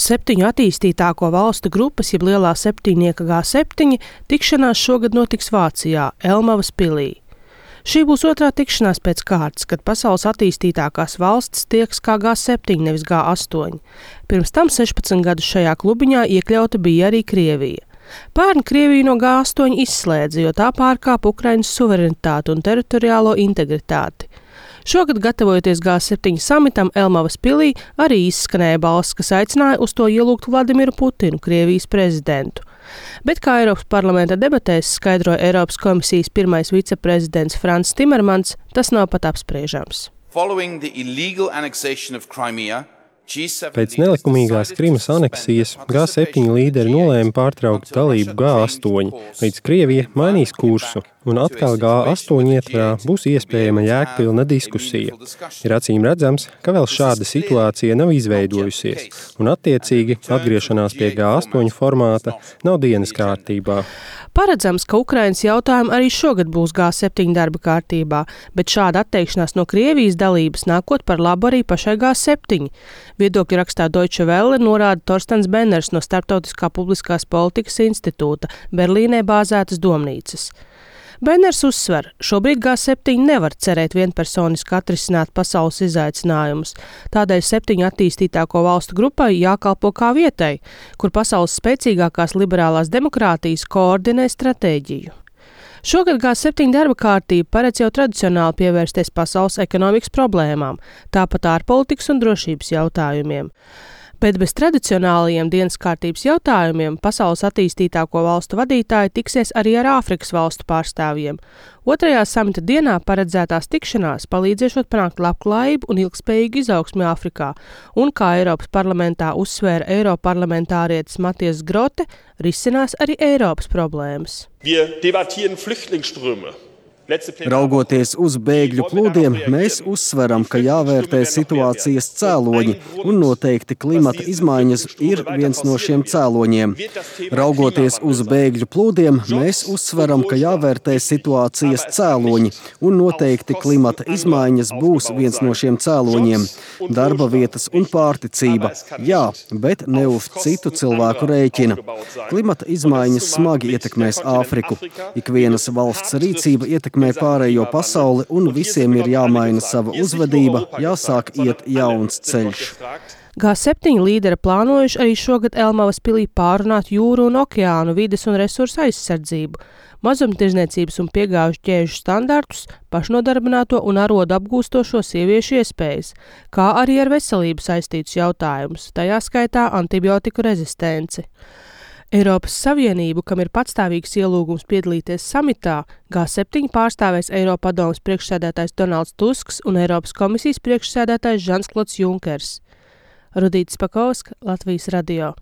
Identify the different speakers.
Speaker 1: Septiņu attīstītāko valstu grupas, jeb lielā septiņnieka G7, tikšanās šogad notiks Vācijā, Elmavas pilī. Šī būs otrā tikšanās pēc kārtas, kad pasaules attīstītākās valstis tiekas kā G7, nevis G8. Pirms tam 16 gadus šajā klubiņā iekļauta bija arī Krievija. Pērn Krieviju no G8 izslēdza, jo tā pārkāpa Ukrainas suverenitāti un teritoriālo integritāti. Šogad, gatavojoties G7 samitam Elmavas pilī, arī izskanēja balss, kas aicināja uz to ielūgt Vladimiru Putinu, Krievijas prezidentu. Bet, kā Eiropas parlamenta debatēs skaidroja Eiropas komisijas pirmais viceprezidents Frans Timermans, tas nav pat apspriežams.
Speaker 2: Pēc nelikumīgās Krimas aneksijas G7 līderi nolēma pārtraukt dalību G8, līdz Krievija mainīs kursu, un atkal G8 ietvarā būs iespējama jēgpilna diskusija. Ir acīm redzams, ka vēl šāda situācija nav izveidojusies, un attiecīgi atgriešanās pie G8 formāta nav dienas kārtībā.
Speaker 1: Paredzams, ka Ukrainas jautājumi arī šogad būs G7 darba kārtībā, bet šāda atteikšanās no Krievijas dalības nākot par labu arī pašai G7. Viedokļu rakstā Deutsche Welle norāda Torstens Benners no Starptautiskā publiskās politikas institūta, Berlīnē bāzētas domnīcas. Benners uzsver, šobrīd G7 nevar cerēt vienpersoniski atrisināt pasaules izaicinājumus, tādēļ 7 attīstītāko valstu grupai jākalpo kā vietai, kur pasaules spēcīgākās liberālās demokrātijas koordinē stratēģiju. Šogad G7 darba kārtība paredz jau tradicionāli pievērsties pasaules ekonomikas problēmām, tāpat ārpolitikas un drošības jautājumiem. Bet bez tradicionālajiem dienas kārtības jautājumiem pasaules attīstītāko valstu vadītāji tiksies arī ar Āfrikas valstu pārstāvjiem. Otrajā samita dienā paredzētās tikšanās palīdzēšot panākt labklājību un ilgspējīgu izaugsmi Āfrikā, un, kā Eiropas parlamentā uzsvēra eiroparlamentārietis Matthias Grote, risinās arī Eiropas problēmas.
Speaker 3: Raugoties uz bēgļu plūdiem, mēs uzsveram, ka jāvērtē situācijas cēloņi, un noteikti klimata izmaiņas ir viens no šiem cēloņiem. Raugoties uz bēgļu plūdiem, mēs uzsveram, ka jāvērtē situācijas cēloņi, un noteikti klimata izmaiņas būs viens no šiem cēloņiem. Darba vietas un pārticība, jā, bet ne uz citu cilvēku rēķina. Klimata izmaiņas smagi ietekmēs Āfriku. Ikvienas valsts rīcība ietekmē pārējo pasauli, un visiem ir jāmaina sava uzvedība, jāsāk iet jauns ceļš.
Speaker 1: G7 līderi plānojuši arī šogad Elmavas pilī pārunāt jūru un okeānu vides un resursu aizsardzību, mazumtirdzniecības un piegāžu ķēžu standartus, pašnodarbināto un arodu apgūstošo sieviešu iespējas, kā arī ar veselību saistītus jautājumus, tajā skaitā antibiotiku rezistenci. Eiropas Savienību, kam ir patstāvīgs ielūgums piedalīties samitā, G7 pārstāvēs Eiropadomes priekšsēdētājs Donalds Tusks un Eiropas komisijas priekšsēdētājs Žans Klods Junkers. Rudīta Spakovska, Latvijas radio.